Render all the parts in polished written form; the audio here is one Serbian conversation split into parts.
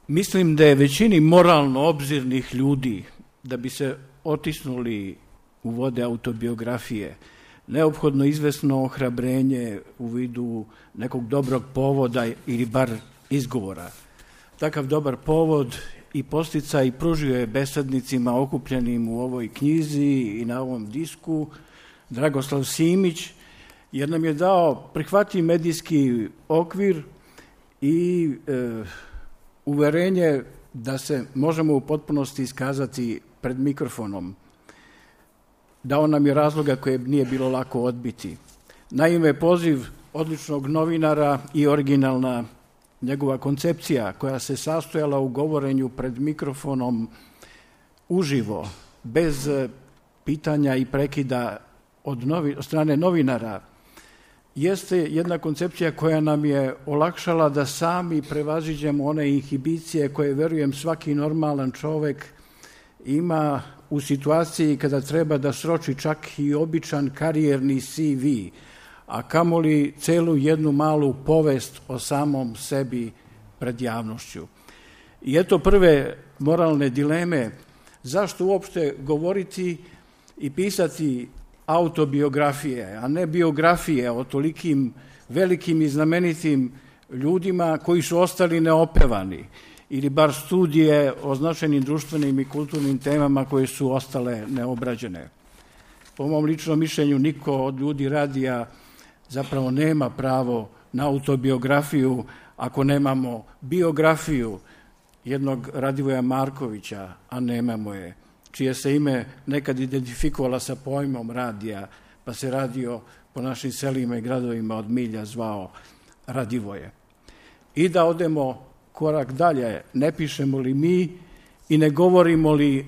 Mislim da je većini moralno obzirnih ljudi, da bi se otisnuli u vode autobiografije, neophodno izvesno ohrabrenje u vidu nekog dobrog povoda ili bar izgovora. Takav dobar povod i posticaj pružio je besednicima okupljenim u ovoj knjizi i na ovom disku Dragoslav Simić, jer nam je dao prihvatljiv medijski okvir i uverenje da se možemo u potpunosti iskazati pred mikrofonom. Dao nam je razloga koje nije bilo lako odbiti. Naime, poziv odličnog novinara i originalna njegova koncepcija koja se sastojala u govorenju pred mikrofonom uživo, bez pitanja i prekida od strane novinara, jeste jedna koncepcija koja nam je olakšala da sami prevaziđemo one inhibicije koje, verujem, svaki normalan čovek ima u situaciji kada treba da sroči čak i običan karijerni CV, a kamoli celu jednu malu povest o samom sebi pred javnošću. I eto prve moralne dileme, zašto uopšte govoriti i pisati autobiografije, a ne biografije o tolikim velikim i znamenitim ljudima koji su ostali neopevani, ili bar studije o značajnim društvenim i kulturnim temama koje su ostale neobrađene. Po mom ličnom mišljenju, niko od ljudi radija zapravo nema pravo na autobiografiju ako nemamo biografiju jednog Radivoja Markovića, a nemamo je, čije se ime nekad identifikovala sa pojmom radija, pa se radio po našim selima i gradovima od milja zvao Radivoje. I da odemo korak dalje, ne pišemo li mi i ne govorimo li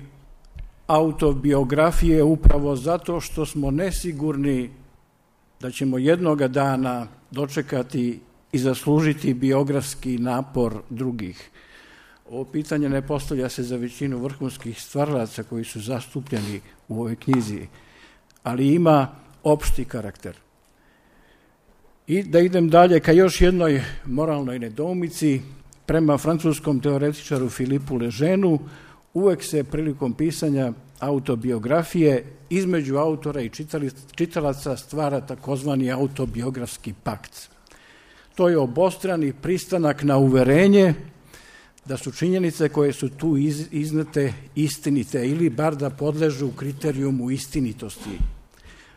autobiografije upravo zato što smo nesigurni da ćemo jednoga dana dočekati i zaslužiti biografski napor drugih. Ovo pitanje ne postavlja se za većinu vrhunskih stvaralaca koji su zastupljeni u ovoj knjizi, ali ima opšti karakter. I da idem dalje ka još jednoj moralnoj nedoumici, prema francuskom teoretičaru Filipu Lejeunu, uvek se prilikom pisanja autobiografije između autora i čitalaca stvara takozvani autobiografski pakt. To je obostrani pristanak na uverenje da su činjenice koje su tu iznete istinite ili bar da podležu kriterijumu istinitosti.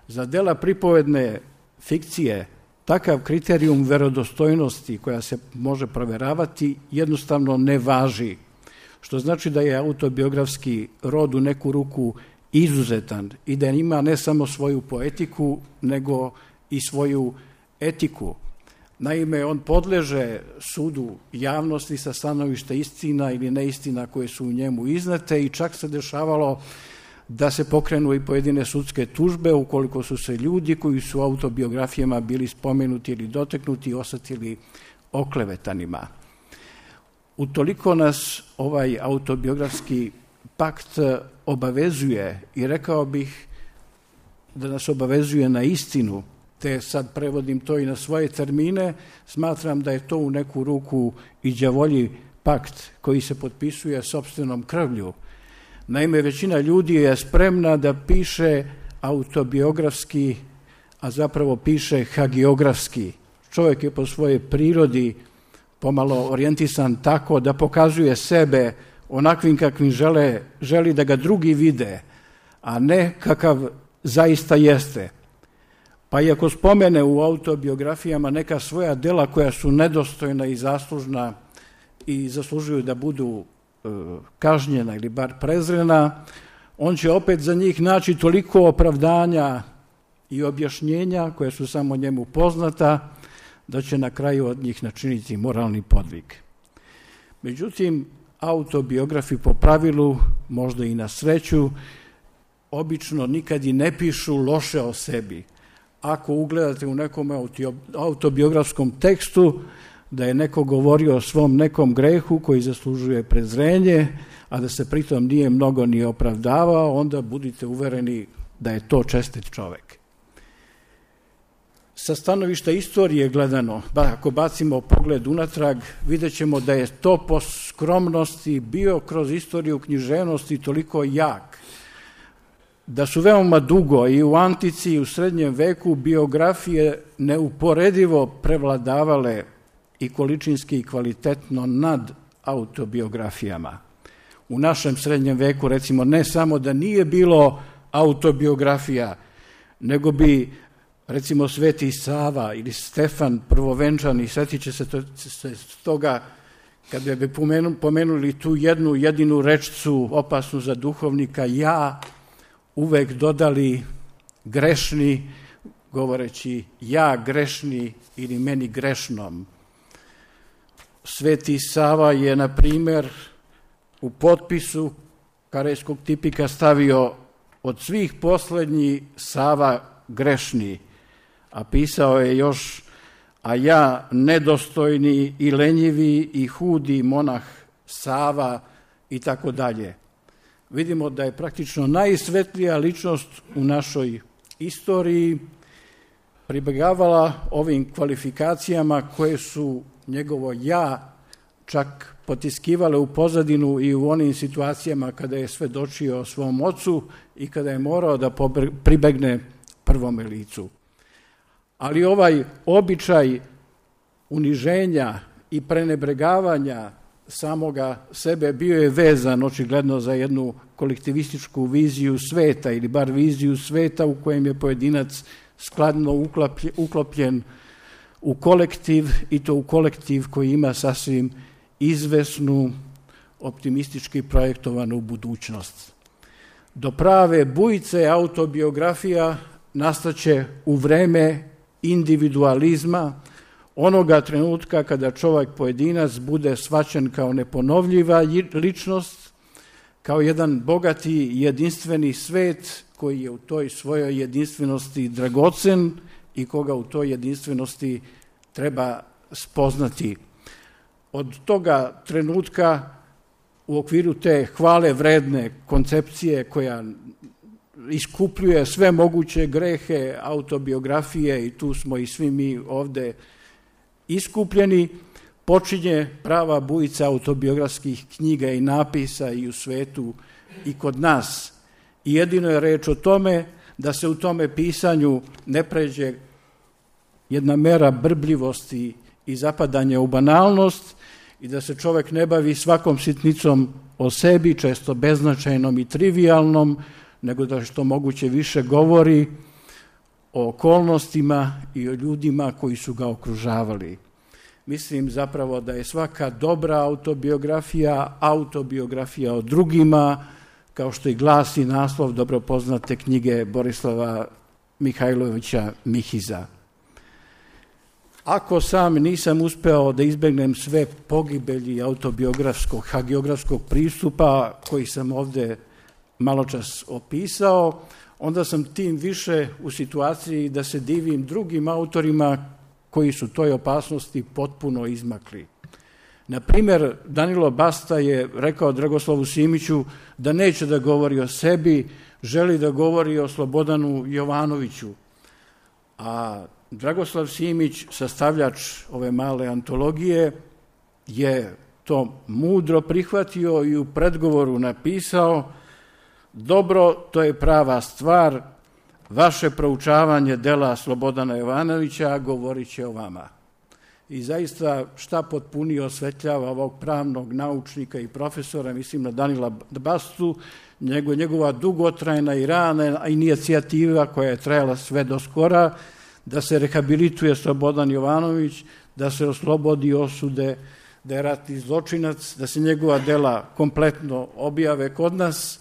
Za dela pripovedne fikcije takav kriterijum verodostojnosti koja se može proveravati jednostavno ne važi, što znači da je autobiografski rod u neku ruku izuzetan i da ima ne samo svoju poetiku, nego i svoju etiku. Naime, on podleže sudu javnosti sa stanovišta istina ili neistina koje su u njemu iznete i čak se dešavalo da se pokrenu i pojedine sudske tužbe ukoliko su se ljudi koji su u autobiografijama bili spomenuti ili doteknuti osetili oklevetanima. Utoliko nas ovaj autobiografski pakt obavezuje i rekao bih da nas obavezuje na istinu, te sad prevodim to i na svoje termine, smatram da je to u neku ruku i đavolji pakt koji se potpisuje sopstvenom krvlju. Naime, većina ljudi je spremna da piše autobiografski, a zapravo piše hagiografski. Čovjek je po svojoj prirodi pomalo orijentisan tako da pokazuje sebe onakvim kakvim želi da ga drugi vide, a ne kakav zaista jeste. Pa i ako spomene u autobiografijama neka svoja dela koja su nedostojna i zaslužna i zaslužuju da budu kažnjena ili bar prezrena, on će opet za njih naći toliko opravdanja i objašnjenja koje su samo njemu poznata, da će na kraju od njih načiniti moralni podvig. Međutim, autobiografi po pravilu, možda i na sreću, obično nikad i ne pišu loše o sebi. Ako ugledate u nekom autobiografskom tekstu da je neko govorio o svom nekom grehu koji zaslužuje prezrenje, a da se pritom nije mnogo ni opravdavao, onda budite uvereni da je to čestit čovek. sa stanovišta istorije gledano, ako bacimo pogled unatrag, vidjet ćemo da je to po skromnosti bio kroz istoriju književnosti toliko jak, da su veoma dugo i u antici i u srednjem veku biografije neuporedivo prevladavale i količinski i kvalitetno nad autobiografijama. U našem srednjem veku, recimo, ne samo da nije bilo autobiografija, nego bi, recimo, Sveti Sava ili Stefan Prvovenčani, setit će se toga, kada bi pomenuli tu jednu jedinu rečcu opasnu za duhovnika, ja, uvek dodali grešni, govoreći ja grešni ili meni grešnom. Sveti Sava je, na primjer, u potpisu karejskog tipika stavio od svih poslednji Sava grešni, a pisao je još a ja nedostojni i lenjivi i hudi monah Sava i tako dalje. Vidimo da je praktično najsvetlija ličnost u našoj istoriji pribegavala ovim kvalifikacijama koje su njegovo ja čak potiskivale u pozadinu i u onim situacijama kada je svedočio o svom ocu i kada je morao da pribegne prvome licu. Ali ovaj običaj uniženja i prenebregavanja samoga sebe bio je vezan očigledno za jednu kolektivističku viziju sveta ili bar viziju sveta u kojem je pojedinac skladno uklopljen u kolektiv i to u kolektiv koji ima sasvim izvesnu, optimistički projektovanu budućnost. Do prave bujice autobiografija nastaće u vreme individualizma, onoga trenutka kada čovjek pojedinac bude shvaćen kao neponovljiva ličnost, kao jedan bogati jedinstveni svet koji je u toj svojoj jedinstvenosti dragocen i koga u toj jedinstvenosti treba spoznati. Od toga trenutka u okviru te hvale vredne koncepcije koja iskupljuje sve moguće grehe autobiografije i tu smo i svi mi ovde iskupljeni, počinje prava bujica autobiografskih knjiga i napisa i u svetu i kod nas. I jedino je reč o tome da se u tome pisanju ne pređe jedna mera brbljivosti i zapadanja u banalnost i da se čovjek ne bavi svakom sitnicom o sebi, često beznačajnom i trivialnom, nego da što moguće više govori o okolnostima i o ljudima koji su ga okružavali. Mislim zapravo da je svaka dobra autobiografija o drugima, kao što i glasi naslov dobro poznate knjige Borislava Mihajlovića Mihiza. Ako sam nisam uspeo da izbegnem sve pogibelji autobiografskog, hagiografskog pristupa koji sam ovde maločas opisao, onda sam tim više u situaciji da se divim drugim autorima koji su toj opasnosti potpuno izmakli. Na primjer, Danilo Basta je rekao Dragoslavu Simiću da neće da govori o sebi, želi da govori o Slobodanu Jovanoviću. A Dragoslav Simić, sastavljač ove male antologije, je to mudro prihvatio i u predgovoru napisao: dobro, to je prava stvar, vaše proučavanje dela Slobodana Jovanovića govorit će o vama. I zaista šta potpunije osvetljava ovog pravnog naučnika i profesora, mislim na Danila Bastu, njegova dugotrajna i rana inicijativa koja je trajala sve do skora, da se rehabilituje Slobodan Jovanović, da se oslobodi osude, da je ratni zločinac, da se njegova dela kompletno objave kod nas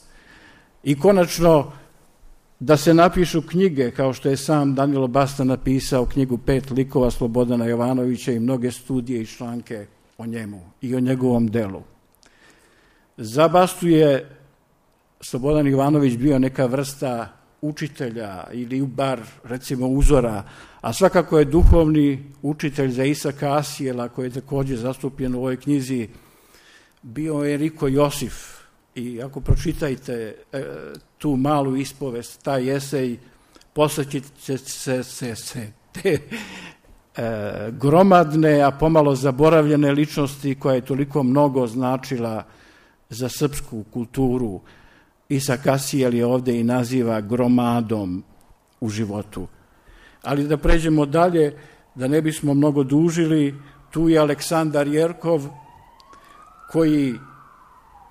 i konačno da se napišu knjige, kao što je sam Danilo Basta napisao knjigu 5 likova Slobodana Jovanovića i mnoge studije i članke o njemu i o njegovom delu. Za Bastu je Slobodan Jovanović bio neka vrsta učitelja ili bar recimo uzora, a svakako je duhovni učitelj za Isaka Asijela, koji je također zastupljen u ovoj knjizi, bio Enrico Josif. I ako pročitajte tu malu ispovest, taj esej, posle ćete se te gromadne, a pomalo zaboravljene ličnosti koja je toliko mnogo značila za srpsku kulturu. Isa Kasijel je ovde i naziva gromadom u životu. Ali da pređemo dalje, da ne bismo mnogo dužili, tu je Aleksandar Jerkov, koji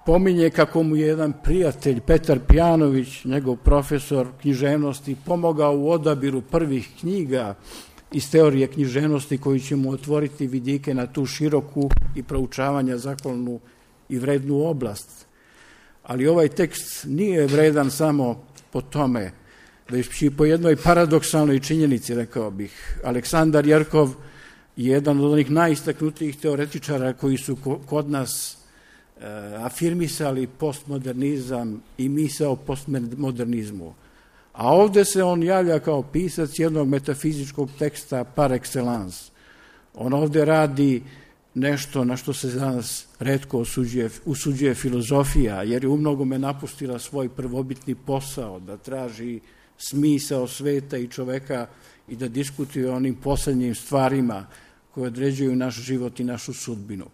pominje kako mu je jedan prijatelj, Petar Pijanović, njegov profesor književnosti, pomogao u odabiru prvih knjiga iz teorije književnosti koji će mu otvoriti vidike na tu široku i proučavanja zahvalnu i vrednu oblast. Ali ovaj tekst nije vredan samo po tome, već i po jednoj paradoksalnoj činjenici, rekao bih. Aleksandar Jerkov je jedan od onih najistaknutijih teoretičara koji su kod nas afirmisali postmodernizam i misao o postmodernizmu. A ovde se on javlja kao pisac jednog metafizičkog teksta par excellence. On ovde radi nešto na što se danas retko usuđuje filozofija, jer je u mnogome napustila svoj prvobitni posao, da traži smisao sveta i čoveka i da diskutuje o onim poslednjim stvarima koje određuju naš život i našu sudbinu.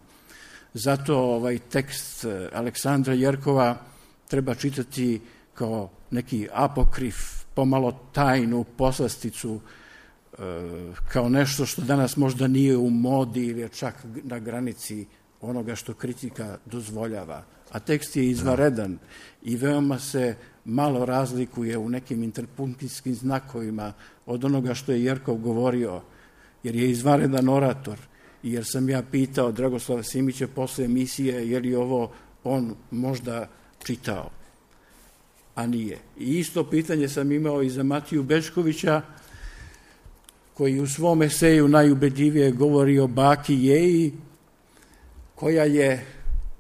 Zato ovaj tekst Aleksandra Jerkova treba čitati kao neki apokrif, pomalo tajnu poslasticu, kao nešto što danas možda nije u modi ili je čak na granici onoga što kritika dozvoljava. A tekst je izvanredan i veoma se malo razlikuje u nekim interpunkcijskim znakovima od onoga što je Jerkov govorio, jer je izvanredan orator. I jer sam ja pitao Dragoslava Simića posle emisije je li ovo on možda čitao, a nije. I isto pitanje sam imao i za Matiju Bećkovića, koji u svom eseju najubedljivije govori o baki Jeji, koja je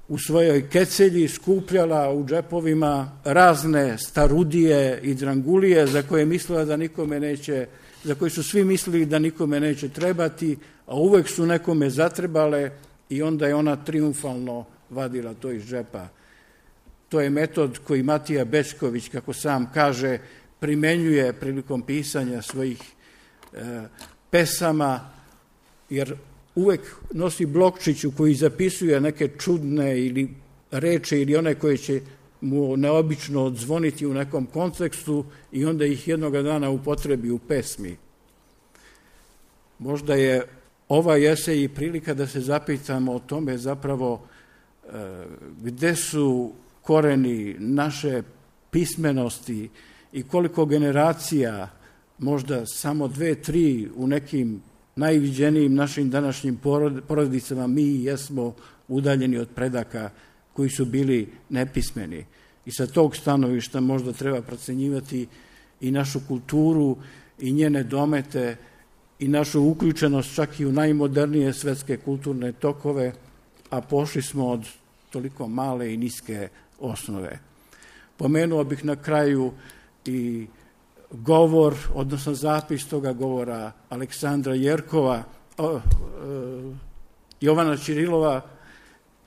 u svojoj kecelji skupljala u džepovima razne starudije i drangulije za koje mislila da nikome neće, za koje su svi mislili da nikome neće trebati, a uvek su nekome zatrebale i onda je ona triumfalno vadila to iz džepa. To je metod koji Matija Bećković, kako sam kaže, primenjuje prilikom pisanja svojih pesama, jer uvek nosi blokčić u koji zapisuje neke čudne ili reči ili one koje će mu neobično odzvoniti u nekom kontekstu i onda ih jednoga dana upotrebi u pesmi. Možda je ovaj esej i prilika da se zapitamo o tome zapravo gde su koreni naše pismenosti i koliko generacija, možda samo 2-3 u nekim najviđenijim našim današnjim porodicama, mi jesmo udaljeni od predaka koji su bili nepismeni. I sa tog stanovišta možda treba procenjivati i našu kulturu i njene domete i našu uključenost čak i u najmodernije svetske kulturne tokove, a pošli smo od toliko male i niske osnove. Pomenuo bih na kraju i govor, odnosno zapis toga govora Aleksandra Jerkova, Jovana Ćirilova,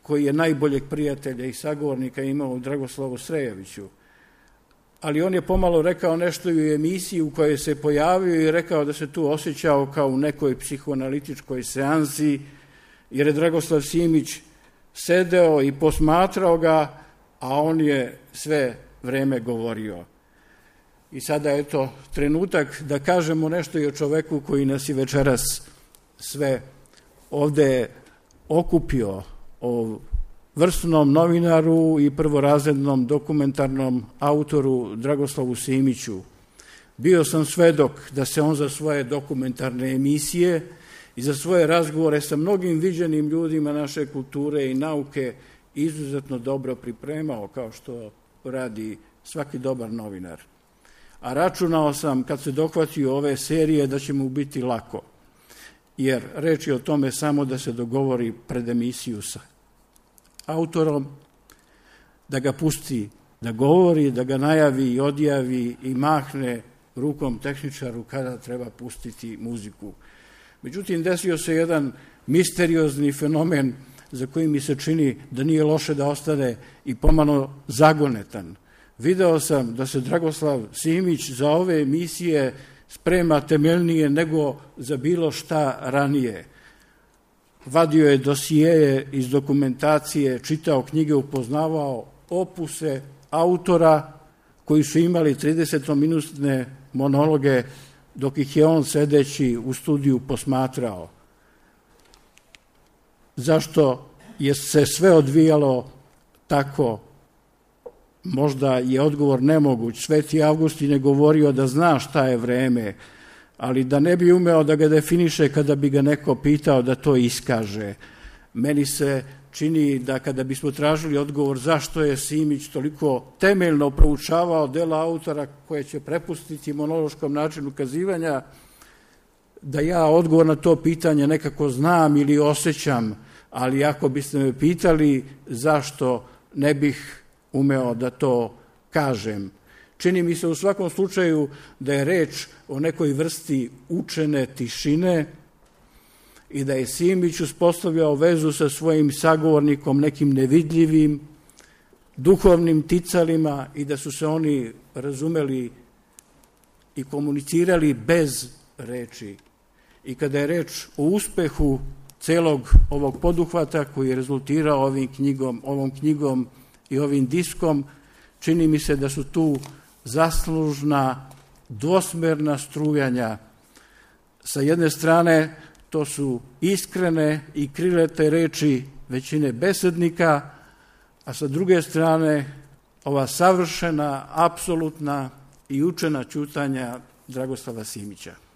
koji je najboljeg prijatelja i sagovornika imao u Dragoslavu Srejeviću. Ali on je pomalo rekao nešto i u emisiji u kojoj se pojavio i rekao da se tu osjećao kao u nekoj psihoanalitičkoj seansi, jer je Dragoslav Simić sedeo i posmatrao ga, a on je sve vreme govorio. I sada je to trenutak da kažemo nešto i o čoveku koji nas i večeras sve ovde okupio, o vrsnom novinaru i prvorazrednom dokumentarnom autoru Dragoslavu Simiću. Bio sam svedok da se on za svoje dokumentarne emisije i za svoje razgovore sa mnogim viđenim ljudima naše kulture i nauke izuzetno dobro pripremao, kao što radi svaki dobar novinar. A računao sam, kad se dohvatio ove serije, da će mu biti lako, jer reč je o tome samo da se dogovori pred emisiju sa autorom, da ga pusti da govori, da ga najavi i odjavi i mahne rukom tehničaru kada treba pustiti muziku. Međutim, desio se jedan misteriozni fenomen za koji mi se čini da nije loše da ostane i pomalo zagonetan. Video sam da se Dragoslav Simić za ove emisije sprema temeljnije nego za bilo šta ranije. Vadio je dosijeje iz dokumentacije, čitao knjige, upoznavao opuse autora koji su imali 30-minutne monologe dok ih je on sedeći u studiju posmatrao. Zašto je se sve odvijalo tako? Možda je odgovor nemoguć. Sveti Avgustin je govorio da zna šta je vreme, ali da ne bi umeo da ga definiše kada bi ga neko pitao da to iskaže. Meni se čini da kada bismo tražili odgovor zašto je Simić toliko temeljno proučavao dela autora koje će prepustiti monološkom načinu kazivanja, da ja odgovor na to pitanje nekako znam ili osjećam, ali ako biste me pitali zašto, ne bih umeo da to kažem. Čini mi se u svakom slučaju da je reč o nekoj vrsti učene tišine i da je Simić uspostavljao vezu sa svojim sagovornikom, nekim nevidljivim duhovnim ticalima i da su se oni razumeli i komunicirali bez reči. I kada je reč o uspehu celog ovog poduhvata koji je rezultirao ovom knjigom i ovim diskom, čini mi se da su tu zaslužna dvosmerna strujanja. Sa jedne strane to su iskrene i krilete reči većine besednika, a sa druge strane ova savršena, apsolutna i učena ćutanja Dragoslava Simića.